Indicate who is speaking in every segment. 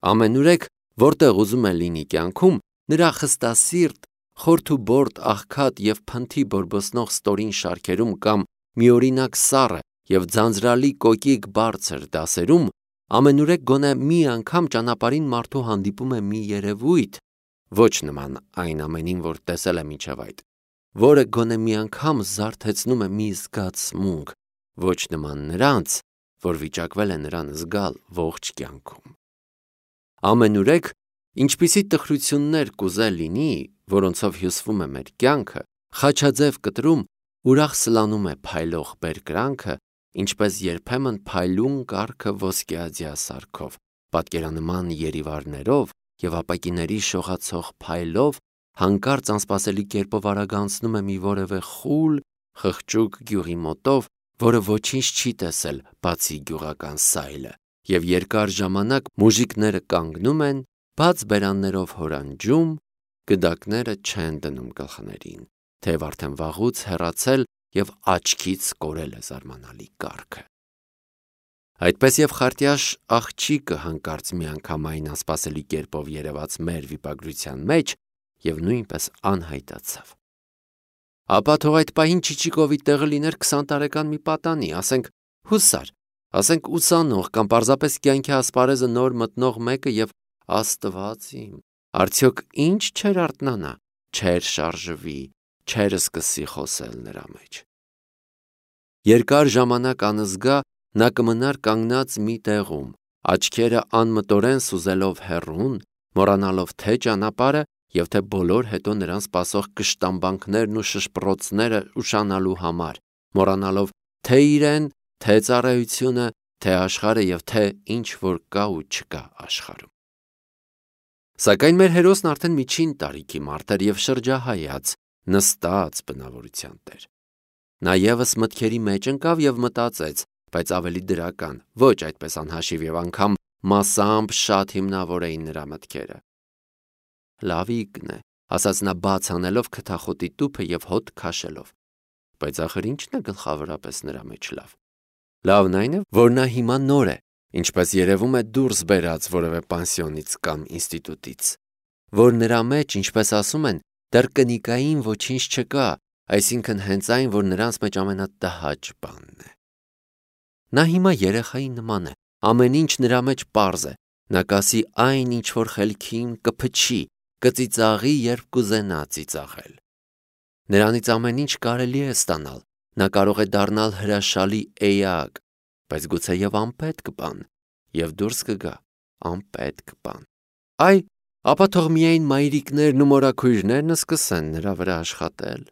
Speaker 1: Ամենուրեք, որտեղ ուզում է լինի կյանքում, նրա խստասիրտ, խորթուբորտ, աղքատ և փնթի բորբոսնող ստորին շարքերում կամ միօրինակ սառը և ձանձրալի կոկիկ բարձր դասերում, ամենուրեք գոնե մի անգամ ճանապարհին մարդու հանդիպում է մի երևույթ, ոչ նման այն ամենին, որ տեսել է մինչև այդ, որը գոնե մի անգամ զարթեցնում է մի զգացմունք, ոչ նման նրանց, որ վիճակվել է նրան զգալ ողջ կյանքում։ Ամենուրեք, ինչպիսի տխրություններ կուզե լինի, որոնցով հյուսվում է մեր կյանքը, խաչաձև կտրում ուրախ սլանում է փայլող բերկրանքը, ինչպես երբեմն փայլուն կառքը ոսկեաձյա սարքով, պատկերանման երիվարներով և ապակիների շողացող փայլով հանկարծ անսպասելի կերպով արագանցնում է մի որևէ խուլ, խղճուկ գյուղի մոտով, որը ոչինչ չի տեսել, բացի գյուղական սայլը, և երկար ժամանակ մուժիկները կանգնում են, բաց բերաններով հորանջում, գդակները չեն դնում գլխներին, թեև արդեն վաղուց հեռացել և աչքից կորել է զարմանալի կառքը։ Այդպես և խարտյաշ աղջիկը հանկարծ միանգամայն անսպասելի կերպով երևաց մեր վիպագրության մեջ և նույնպես անհայտացավ։ Ապա թող այդ պահին Չիչիկովի տեղը լիներ 20 տարեկան մի պատանի, ասենք հուսար, ասենք ուսանող կամ պարզապես կյանքի ասպարեզը նոր մտնող մեկը և Աստված իմ, արդյոք ինչ չէր արթնանա, չէր շարժվի, չէր սկսի խոսել նրա մեջ։ Երկար ժամանակ անզգա նա կմնար կանգնած մի տեղում, աչքերը անմտորեն սուզելով հեռուն, մոռանալով թե ճանապարհը և թե բոլոր հետո նրան սպասող կշտամբանքներն ու շշպռոցները ուշանալու համար, մոռանալով թե իրեն, թե ծառայությունը, թե աշխարհը և թե ինչ որ կա ու չկա աշխարհում։ Սակայն մեր հերոսն արդեն միջին տարիքի մարդ էր և շրջահայաց, նստած բնավորության տեր։ Նա ևս մտքերի մեջ ընկավ և մտածեց, բայց ավելի դրական, ոչ այդպես անհաշիվ և անգամ մասամբ շատ հիմնավոր էին նրա մտքերը։ Լավիկն է, ասաց նա բաց անելով քթախոտի տուփը և հոտ քաշելով, բայց ախր ի՞նչն է գլխավորապես նրա մեջ լավ։ Լավն այն է, որ նա հիմա նոր է, ինչպես երևում է դուրս բերած որևէ պանսիոնից կամ ինստիտուտից, որ նրա մեջ, ինչպես ասում են, դեռ կնիկային ոչինչ չկա, այսինքն հենց այն, որ նրանց մեջ ամենատհաճ բանն է։ Նա հիմա երեխայի նման է, ամեն ինչ նրա մեջ պարզ է, նա կասի այն, ինչ որ խելքին կփչի, կծիծաղի, երբ կուզենա ծիծաղել։ Նրանից ամեն ինչ կարելի է ստանալ, նա կարող է դառնալ հրաշալի էակ, բայց գուցեև անպետք բան, և դուրս կգա անպետք բան։ Այ, ապա թող միայն մայրիկներն ու մորաքույրներն սկսեն նրա վրա աշխատել։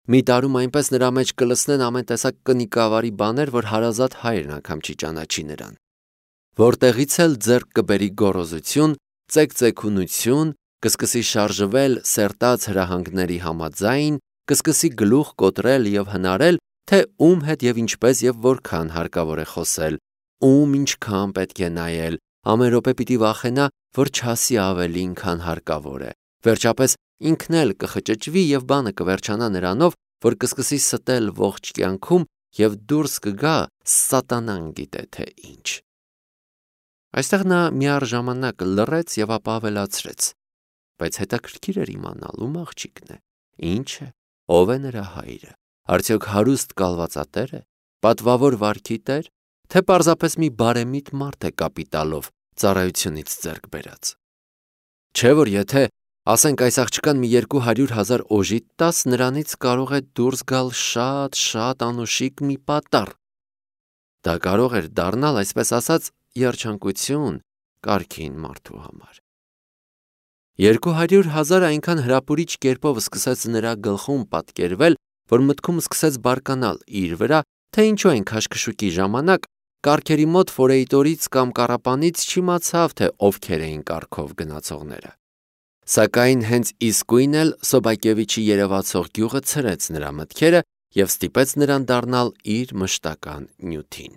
Speaker 1: Մի տարում այնպես նրա մեջ կլսնեն ամեն տեսակ կնիկավարի բաներ, որ հարազատ հայրն անգամ չի ճանաչի նրան։ Որտեղից էլ ձեռք կբերի գոռոզություն, ծեկծեկունություն, կսկսի շարժվել սերտած հրահանգների համաձայն, կսկսի գլուխ կոտրել և հնարել, թե ում հետ և ինչպես և որքան հարկավոր է խոսել, ում ինչքան պետք է նայել, ամեն րոպե պիտի վախենա, որ չասի ավելին, քան հարկավոր է, վերջապես ինքն էլ կխճճվի և բանը կվերջանա նրանով, որ կսկսի ստել ողջ կյանքում և դուրս կգա սատանան գիտե թե ինչ։ Այստեղ նա միառժամանակ լռեց և ապա ավելացրեց. բայց հետաքրքիր էր իմանալ ում աղջիկն է, ինչ է, ով է նրա հայրը, արդյոք հարուստ կալվածատե՞ր է, պատվավոր վարքի տեր, թե պարզապես մի բարեմիտ մարդ է կապիտալով ծառայությունից ձեռք բերած։ Չէ՞ որ եթե, ասենք, այս աղջկան մի 200,000 օժիտ տաս, նրանից կարող է դուրս գալ շատ անուշիկ մի պատառ։ Դա կարող էր դառնալ, այսպես ասած, երջանկություն կարգին մարդու համար։ 200,000 այնքան հրապուրիչ կերպով սկսեց նրա գլխում պատկերվել, որ մտքում սկսեց բարկանալ իր վրա, թե ինչու այն քաշքշուկի ժամանակ կառքերի մոտ ֆորեյտորից կամ կառապանից չիմացավ, թե ովքեր էին կառքով գնացողները։ Սակայն հենց իսկույն էլ Սոբակևիչի երևացող գյուղը ցրեց նրա մտքերը և ստիպեց նրան դառնալ իր մշտական նյութին։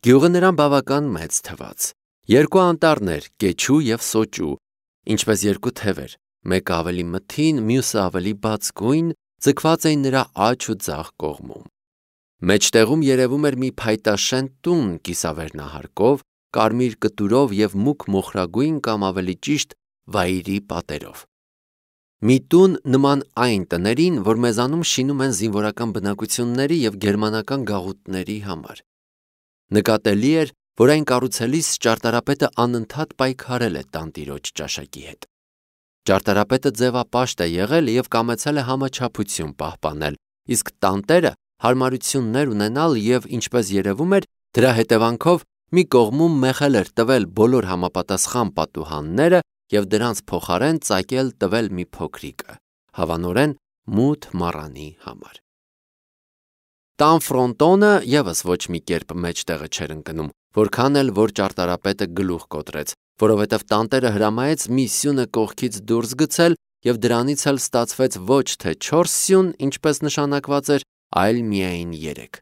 Speaker 1: Գյուղը նրան բավական մեծ թվաց։ 2 անտառներ՝ Կեչու և Սոճու, ինչպես 2 թևեր, մեկը ավելի մթին, մյուսը ավելի բաց գույն, ձգված էին նրա աջ ու ձախ կողմում։ Մեջտեղում երևում էր մի փայտաշեն տուն կիսավերնահարկով, կարմիր կտուրով և մուգ մոխրագույն կամ ավելի ճիշտ վայրի պատերով։ Մի տուն նման այն տներին, որ մեզանում շինում են զինվորական բնակությունների և գերմանական գաղութների համար։ Նկատելի էր, որ այն կառուցելիս ճարտարապետը անընդհատ պայքարել է տանտիրոջ ճաշակի հետ։ Ճարտարապետը ձևապաշտ է եղել և կամեցել է համաչափություն պահպանել, իսկ տանտերը հարմարություններ ունենալ և, ինչպես երևում էր, դրա հետևանքով մի կողմում մեղել էր տվել բոլոր համապատասխան պատուհանները և դրանց փոխարեն ծակել տվել մի փոքրիկը, հավանորեն մութ մառանի համար։ Տան ֆրոնտոնը ևս ոչ մի կերպ մեջտեղը չէր ընկնում, որքան էլ որ ճարտարապետը գլուխ կոտրեց, որովհետև տանտերը հրամայեց մի սյունը կողքից դուրս գցել և դրանից էլ ստացվեց ոչ թե 4 սյուն, ինչպես նշանակված էր, այլ միայն 3։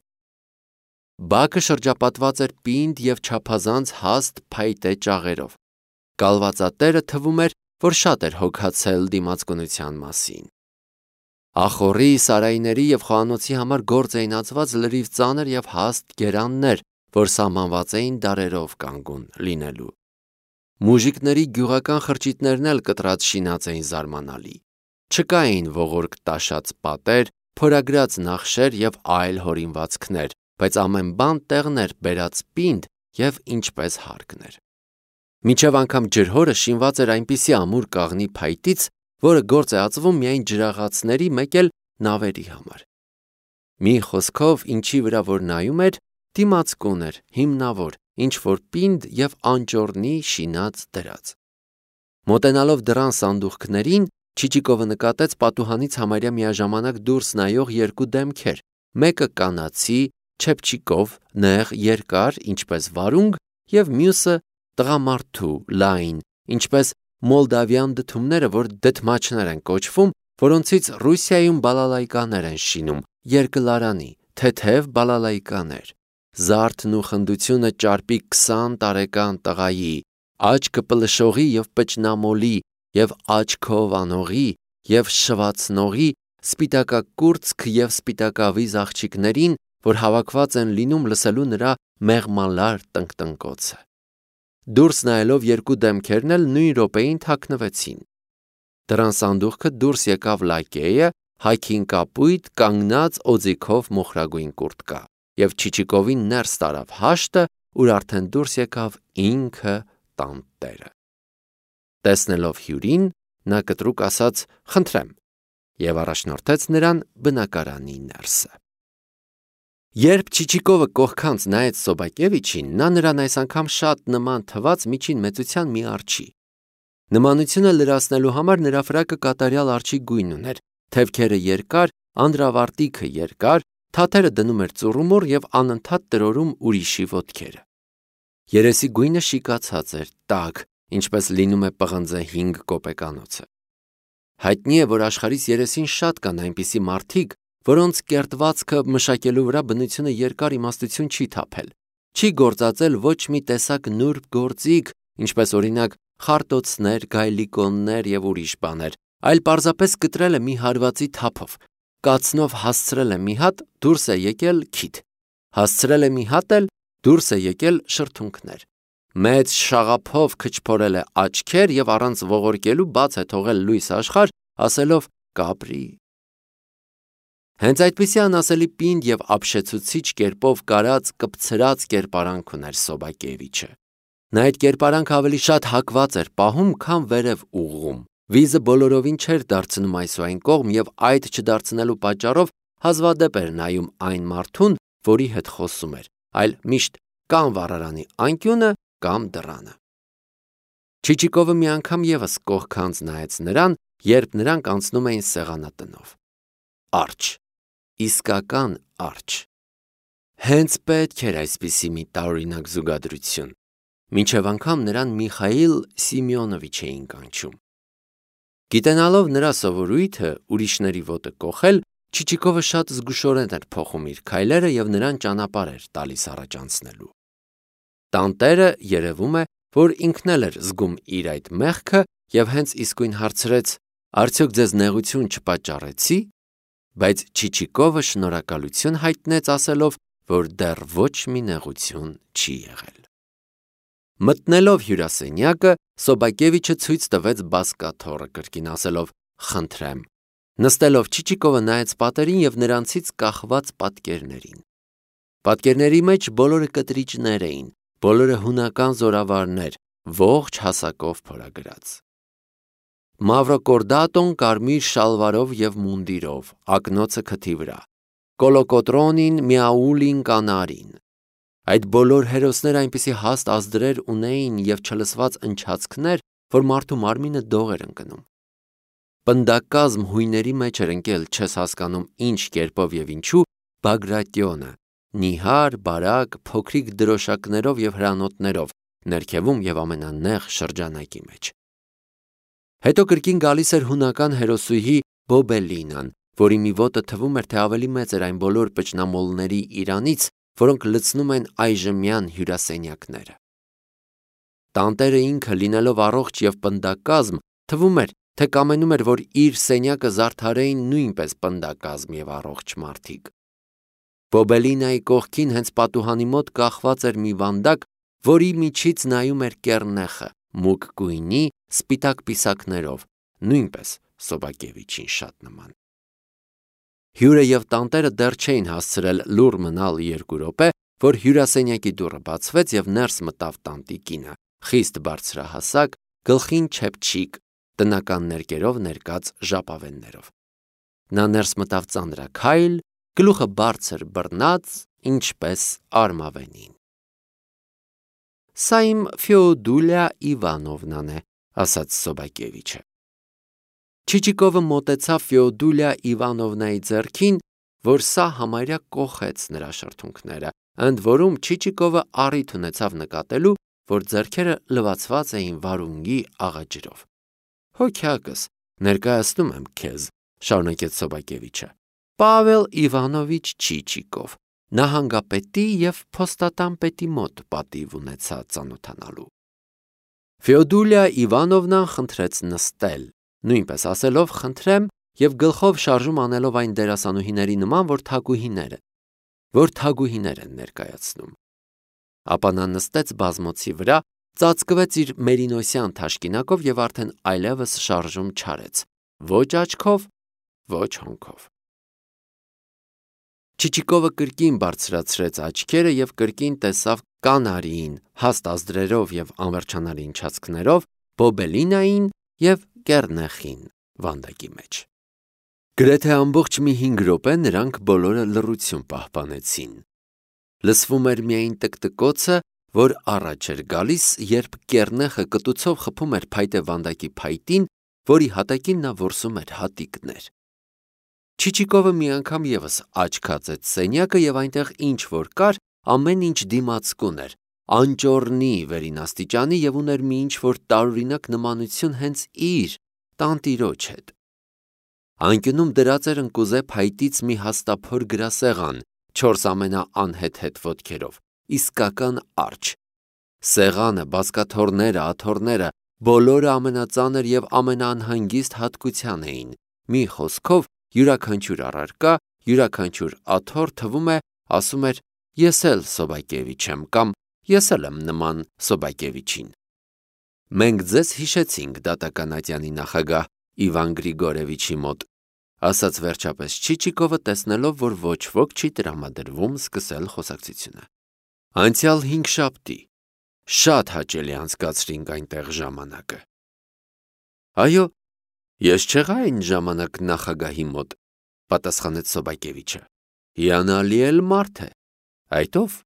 Speaker 1: Բակը շրջապատված էր պինդ և չափազանց հաստ փայտե ճաղերով։ Կալվածատերը թվում էր, որ շատ էր հոգացել դիմացկունության մասին։ Ախոռի, սարայիների և խոհանոցի համար գործ էին ածված լրիվ ծանր և հաստ գերաններ, որ սահմանված էին դարերով կանգուն լինելու։ Մուժիկների գյուղական խրճիթներն էլ կտրած շինած էին զարմանալի։ Չկային ողորկ տաշած պատեր, փորագրած նախշեր և այլ հորինվածքներ, բայց ամեն բան տեղն էր բերած պինդ և ինչպես հարկն էր։ Մինչև անգամ ջրհորը շինված էր այնպիսի ամուր կաղնի փայտից, որը գործ է ածվում միայն ջրաղացների, մեկ էլ նավերի համար։ Մի խոսքով, ինչի վրա որ նայում էր, դիմացկուն էր, հիմնավոր, ինչ-որ պինդ և անճոռնի շինած դրած։ Մոտենալով դռան սանդուղքներին, Չիչիկովը նկատեց պատուհանից համարյա միաժամանակ դուրս նայող երկու դեմքեր, մեկը կանացի, չեփչիկով, նեղ, երկար, ինչպես վարունգ, և մյուսը տղամարդու, լայն, ինչպես մոլդավյան դդումները, որ դդմաչներ են կոչվում, որոնցից Ռուսիայում բալալայկաներ են շինում, երկլարանի, թեթև բալալայկաներ։ Զարդն ու խնդությունը ճարպիկ 20 տարեկան տղայի, աչքը պլշողի և պճնամոլի, և աչքով անողի, և շվացնողի, սպիտակակուրծք և սպիտակավիզ աղջիկներին, որ հավաքված են լինում լսելու նրա մեղմալար տնկտնկոցը։ Դուրս նայելով երկու դեմքերն էլ նույն րոպեին թաքնվեցին։ Դռան սանդուղքը դուրս եկավ լակեյը, հագին կապույտ, կանգնած օձիքով մոխրագույն կուրտկա, և Չիչիկովին ներս տարավ հաշտը, ուր արդեն դուրս եկավ ինքը տանտերը։ Տեսնելով հյուրին, նա կտրուկ ասաց «Խնդրեմ» և առաջնորդեց նրան բնակարանի ներսը։ Երբ Չիչիկովը կողքանց նայեց Սոբակևիչին, նա նրան այս անգամ շատ նման թվաց միջին մեծության մի արջի։ Նմանությունը լրացնելու համար նրա ֆրակը կատարյալ արջի գույն ուներ, թևքերը երկար, անդրավարտիքը երկար, թաթերը դնում էր ծուռումուռ և անընդհատ տրորում ուրիշի ոտքերը։ Երեսի գույնը շիկացած էր, տաք, ինչպես լինում է պղնձե 5 կոպեկանոցը։ Հայտնի է, որ աշխարհիս երեսին շատ կան այնպիսի մարդիկ, որոնց կերտվածքը մշակելու վրա բնությունը երկար իմաստություն չի թափել, չի գործածել ոչ մի տեսակ նուրբ գործիք, ինչպես օրինակ խարտոցներ, գայլիկոններ և ուրիշ բաներ, այլ պարզապես կտրել է մի հարվածի թափով, կացնով հասցրել է մի հատ, դուրս է եկել քիթ, հասցրել է մի հատ էլ, դուրս է եկել շրթունքներ, մեծ շաղափով քչփորել է աչքեր և առանց ողորկելու բաց է թողել լույս աշխարհ, ասելով կապրի։ Հենց այդպիսի անասելի պինդ և ապշեցուցիչ կերպով կարած կպցրած կերպարանք ուներ Սոբակևիչը։ Նա այդ կերպարանքը ավելի շատ հակված էր պահում, քան վերև ուղղում։ Վիզը բոլորովին չէր դարձնում այս ու այն կողմ և այդ չդարձնելու պատճառով հազվադեպ էր նայում այն մարդուն, որի հետ խոսում էր, այլ միշտ կամ վառարանի անկյունը, կամ դռանը։ Չիչիկովը մի անգամ ևս կողքանց նայեց նրան, երբ նրանք անցնում էին սեղանատնով։ Արջ, իսկական արջ։ Հենց պետք էր այսպիսի մի տարօրինակ զուգադրություն։ Մինչև անգամ նրան Միխայիլ Սիմեոնովիչ էին կանչում։ Գիտենալով նրա սովորույթը ուրիշների ոտը կոխել, Չիչիկովը շատ զգուշորեն էր փոխում իր քայլերը և նրան ճանապարհ էր տալիս առաջ անցնելու։ Տանտերը երևում է, որ ինքն էլ էր զգում իր այդ մեղքը և հենց իսկույն հարցրեց. «Արդյոք ձեզ նեղություն չպատճառեցի»։ Բայց Չիչիկովը շնորհակալություն հայտնեց, ասելով, որ դեռ ոչ մի նեղություն չի եղել։ Մտնելով հյուրասենյակը, Սոբակևիչը ցույց տվեց բազկաթոռը կրկին ասելով. «Խնդրեմ»։ Նստելով Չիչիկովը նայեց պատերին եւ նրանցից կախված պատկերներին։ Պատկերների մեջ բոլորը կտրիճներ էին, բոլորը հունական զորավարներ, ողջ հասակով փորագրած։ Մավրոկորդատոն կարմիր շալվարով եւ մունդիրով, ակնոցը քթի վրա, Կոլոկոտրոնին, Միաուլին, կանարին։ Այդ բոլոր հերոսները այնպիսի հաստ ազդրեր ունեին եւ չլսված ընչացքներ, որ մարդու մարմինը դող էր ընկնում։ Պնդակազմ հույների մեջ էր ընկել, չես հասկանում ինչ կերպով եւ ինչու, Բագրատյոնը, նիհար, բարակ, փոքրիկ դրոշակներով եւ հրանոթներով, ներքևում եւ ամենանեղ շրջանակի մեջ։ Հետո կրկին գալիս էր հունական հերոսուհի Բոբելինան, որի մի ոտը թվում էր, թե ավելի մեծ էր այն բոլոր պճնամոլների իրանից, որոնք լցնում են այժմյան հյուրասենյակները։ Տանտերը ինքը լինելով առողջ եւ պնդակազմ, թվում էր, թե կամենում էր, որ իր սենյակը զարդարեին նույնպես պնդակազմ եւ առողջ մարդիկ։ Բոբելինայի կողքին հենց պատուհանի մոտ կախված էր մի վանդակ, որի միջից նայում էր կեռնեխը, մուգ գույնի, սպիտակ պիսակներով, նույնպես Սոբակևիչին շատ նման։ Հյուրը եւ տանտերը դեռ չէին հասցրել լուռ մնալ 2 րոպե, որ հյուրասենյակի դուռը բացվեց եւ ներս մտավ տանտիկինը, խիստ բարձրահասակ, գլխին չեփչիկ, տնական ներկերով ներկած ժապավեններով։ Նա ներս մտավ ծանրաքայլ, գլուխը բարձր բռնած, ինչպես արմավենին։ Սա իմ Ֆեոդուլիա Իվանովնան է, ասաց Սոբակևիչը։ Չիչիկովը մոտեցավ Ֆեոդուլիա Իվանովնայի ձեռքին, որ սա համարյա կոխեց նրա շրթունքները, ընդ որում Չիչիկովը առիթ ունեցավ նկատելու, որ ձեռքերը լվացված էին վարունգի աղաջրով։ Հոգյակս, ներկայացնում եմ քեզ, շարունակեց Սոբակևիչը, Պավել Իվանովիչ Չիչիկով, նահանգապետի եւ փոստատանպետի մոտ պատիվ ունեցա ծանոթանալու։ Ֆեոդուլիա Իվանովնան խնդրեց նստել, նույնպես ասելով խնդրեմ եւ գլխով շարժում անելով այն դերասանուհիների նման, որ թագուհիներ են ներկայացնում։ Ապա նա նստեց բազմոցի վրա, ծածկվեց իր մերինոսյան թաշկինակով եւ արդեն այլևս շարժում չարեց, ոչ աչքով, ոչ հոնքով։ Չիչիկովը կրկին բարձրացրեց աչքերը եւ կրկին տեսավ կանարին, հաստ ազդրերով եւ անվերջանալի ընչացքներով, Բոբելինային եւ կեռնեխին վանդակի մեջ։ Գրեթե ամբողջ մի 5 րոպե նրանք բոլորը լռություն պահպանեցին։ Լսվում էր միայն տկտկոցը, որ առաջ էր գալիս, երբ կեռնեխը կտուցով խփում էր փայտե վանդակի փայտին, որի հատակին նա որսում էր հատիկներ։ Չիչիկովը մի անգամ եւս աչք հացեց սենյակը եւ այնտեղ ինչ որ կար, ամեն ինչ դիմացկուն էր, անճոռնի վերինաստիճանի եւ ուներ մի ինչ որ տարօրինակ նմանություն հենց իր տանտիրոջ հետ։ Անկյունում դրած էր ընկուզե փայտից մի հաստափոր գրասեղան, 4 ամենաանհեթեթ ոտքերով, իսկական արջ։ Սեղանը, բազկաթոռները, աթոռները, բոլորը ամենածանր եւ ամենաանհանգիստ հատկության էին։ Մի խոսքով, յուրաքանչյուր առարկա, յուրաքանչյուր աթոռ թվում է, ասում էր. ես էլ Սոբակևիչ եմ կամ ես էլ եմ նման Սոբակևիչին։ Մենք ձեզ հիշեցինք դատականատյանի նախագահ Իվան Գրիգորևիչի մոտ, ասաց վերջապես Չիչիկովը, տեսնելով, որ ոչ ոք չի տրամադրվում սկսել խոսակցությունը։ Անցյալ 5 շաբթի շատ հաճելի անցկացրինք այնտեղ ժամանակը։ Այո, ես չեղա այն ժամանակ նախագահի մոտ, պատասխանեց Սոբակևիչը։ Հիանալի էլ մարդ է։ Այդ ով,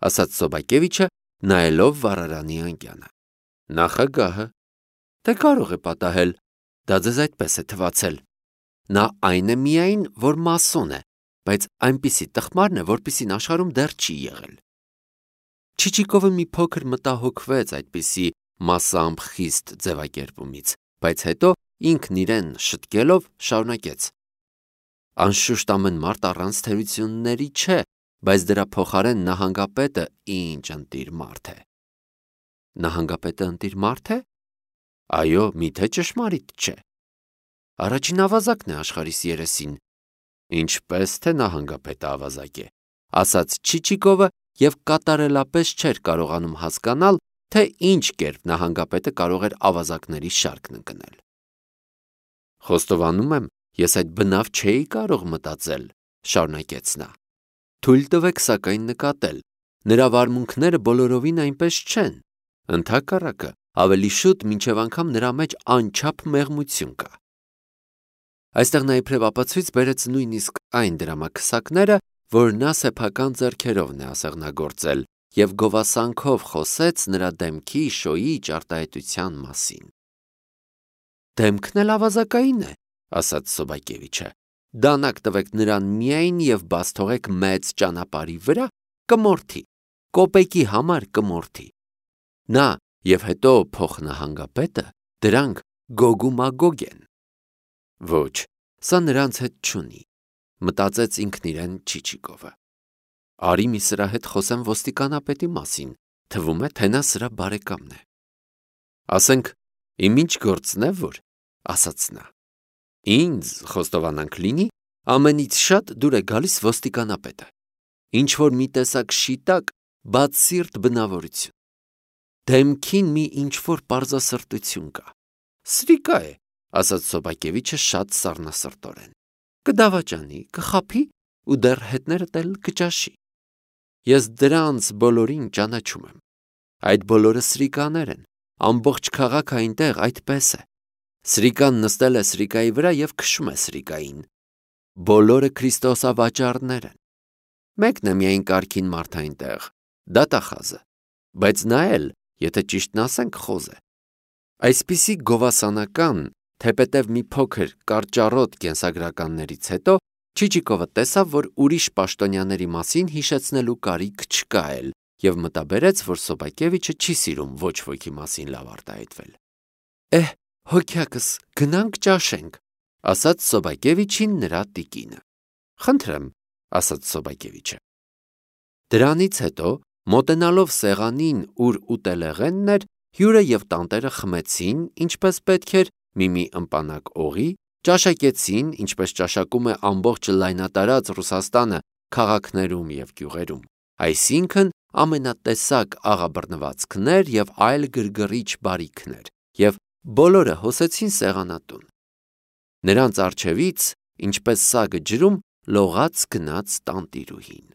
Speaker 1: ասաց Սոբակևիչը, նայելով վառարանի անկյանը։ Նախագահը։ Թե կարող է պատահել, դա ձեզ այդպես է թվացել։ Նա այն է միայն, որ մասոն է, բայց այնպիսի տխմարն է, որպիսին աշխարհում դեռ չի եղել։ Չիչիկովը մի փոքր մտահոգվեց այդպիսի մասամբ խիստ ձևակերպումից, բայց հետո ինքն իրեն շտկելով շարունակեց. Անշուշտ ամեն մարդ առանց թերությունների չէ, բայց դրա փոխարեն նահանգապետը ինչ ընտիր մարդ է։ Նահանգապետը ընտիր մարդ է։ Այո, միթե ճշմարիտ չէ։ Առաջին ավազակն է աշխարհիս երեսին։ Ինչպես թե նահանգապետը ավազակ է, ասաց Չիչիկովը եւ կատարելապես չէր կարողանում հասկանալ, թե ինչ կերպ նահանգապետը կարող էր ավազակների շարքն ընկնել։ Խոստովանում եմ, ես այդ բնավ չէի կարող մտածել, շարունակեց նա։ Թույլ տվեք սակայն նկատել, նրա վարմունքները բոլորովին այնպես չեն, ընդհակառակը, ավելի շուտ մինչև անգամ նրա մեջ անչափ մեղմություն կա։ Այստեղ նա իբրև ապացույց բերեց նույնիսկ այն դրամաքսակները, որ նա սեփական ձեռքերով նեասեղնագործել և գովասանքով խոսեց նրա դեմքի շոյի ճարտարապետության մասին։ Դեմքն էլ ավազակային է, ասաց Սոբակևիչը, դանակ տվեք նրան միայն և բաց թողեք մեծ ճանապարհի վրա, կմորթի, կոպեկի համար կմորթի։ Նա և հետո փոխնահանգապետը դրանք գոգումագոգ են։ Ոչ, սա նրանց հետ չունի, մտածեց ինքն իրեն Չիչիկովը։ Արի մի սրա հետ խոսեմ ոստիկանապետի մասին, թվում է, թե նա սրա բարեկամն է։ Ասենք, իմ ինչ գործն է, որ, ասաց նա։ Ինձ խոստովանանք լինի, ամենից շատ դուր է գալիս ոստիկանապետը, ինչ որ մի տեսակ շիտակ, բացսիրտ բնավորություն։ Դեմքին մի ինչ որ պարզասրտություն կա։ Սրիկա է, ասաց Սոբակևիչը շատ սառնասրտորեն։ Կդավաճանի, կխաբի ու դեռ հետներդ էլ կճաշի։ Ես դրանց բոլորին ճանաչում եմ։ Այդ բոլորը սրիկաներ են, ամբողջ քաղաքը այնտեղ այդպես է։ Սրիկան նստել է սրիկայի վրա և քշում է սրիկային։ Բոլորը Քրիստոսավաճառներ են։ Մեկն է միայն կարգին մարդ այնտեղ, դատախազը, բայց նա էլ, եթե ճիշտն ասենք, խոզ է։ Այսպիսի գովասանական, թեպետև մի փոքր կարճառոտ կենսագրականներից հետո Չիչիկովը տեսավ, որ ուրիշ պաշտոնյաների մասին հիշեցնելու կարիք չկա էլ և մտաբերեց, որ Սոբակևիչը չի սիրում ոչ ոքի մասին լավ արտահայտվել։ Հոգյակս, գնանք ճաշենք, ասաց Սոբակևիչին նրա տիկինը։ Խնդրեմ, ասաց Սոբակևիչը։ Դրանից հետո, մոտենալով սեղանին, ուր ուտելեղենն էր, հյուրը և տանտերը խմեցին, ինչպես պետք էր, մի ըմպանակ օղի, ճաշակեցին, ինչպես ճաշակում է ամբողջ լայնատարած Ռուսաստանը քաղաքներում և գյուղերում, այսինքն ամենատեսակ աղաբռնվածքներ և այլ գրգռիչ բարիքներ, և բոլորը հոսեցին սեղանատուն։ Նրանց առջևից, ինչպես սագը ջրում, լողաց գնաց տանտիրուհին։